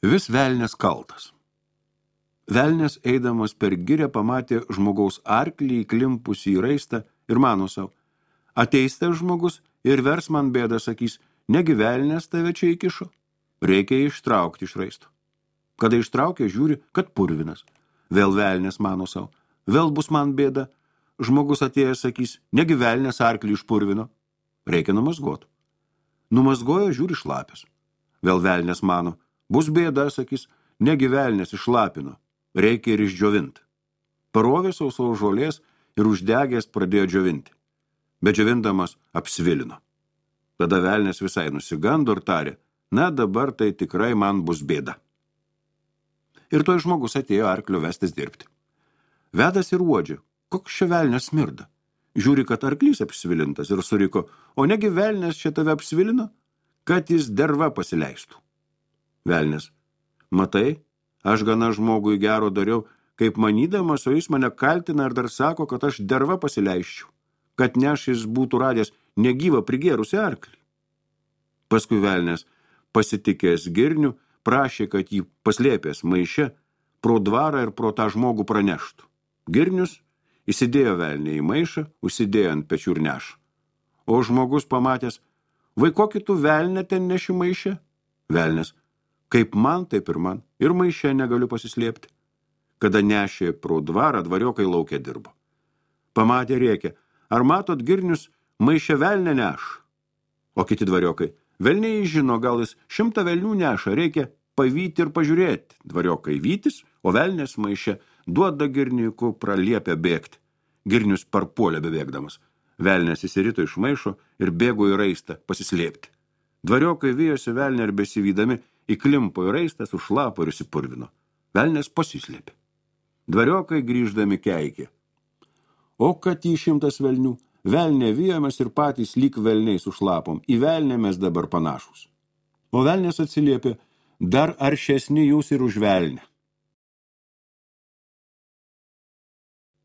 Vis velnias kaltas. Velnias eidamas per girią pamatė žmogaus arklį įklimpusį į raistą ir mano sau, ateis tas žmogus ir vers man bėdą, sakys, negi velnias tave čia įkišo, reikia ištraukti iš raisto. Kada ištraukė, žiūri, kad purvinas. Vėl velnias mano sau, vėl bus man bėda, žmogus atėjęs sakys, negi velnias arklį išpurvino, reikia numazgoti. Numazgojo, žiūri, šlapias. Vėl velnias mano, bus bėda, sakys, negi velnias išlapino, reikia ir išdžiovinti. Parovė sausos žolės ir uždegęs pradėjo džiovinti. Bet džiovindamas apsvilino. Tada velnias visai nusigando ir tarė, na dabar tai tikrai man bus bėda. Ir toj žmogus atėjo arklio vestis dirbti. Vedas ir uodžia, koks čia velnias smirda. Žiūri, kad arklys apsvilintas ir suriko, o negi velnias čia tave apsvilino, kad jis derva pasileistų. Velnias, matai, aš gana žmogui gero dariau, kaip manydamas, o jis mane kaltina ir dar sako, kad aš derva pasileisčiau, kad neš jis būtų radęs negyvą prigėrusi arklį. Paskui velnias, pasitikęs girnių, prašė, kad jį paslėpęs maiše pro dvarą ir pro tą žmogų praneštų. Girnius įsidėjo velnį į maišą, užsidėjo ant pečių ir nešą. O žmogus pamatęs, vai kokį tu velnę ten neši maiše? Velnias, kaip man, taip ir man, ir maiše negaliu pasislėpti. Kada nešė pro dvarą, dvariokai lauke dirbo. Pamatė rėkė, ar matot girnius maiše velnę neš? O kiti dvariokai, velniai žino, gal jis 100 velnių neša, reikia pavyti ir pažiūrėti. Dvariokai vytis, o velnės maiše duoda girniukų praliepę bėgti. Girnius parpuolė bebėgdamas. Velnės įsirito iš maišo ir bėgo į raistą pasislėpti. Dvariokai vijosi velnę ir besivydami įklimpo į raistą, sušlapo ir įsipurvino. Velnės pasislėpė. Dvariokai grįždami keikė. O kad į 100 velnių, velnė vijomės ir patys lyg velniai sušlapom, į velnę mes dabar panašus. O velnės atsiliepė, dar aršesni jūs ir už velnę.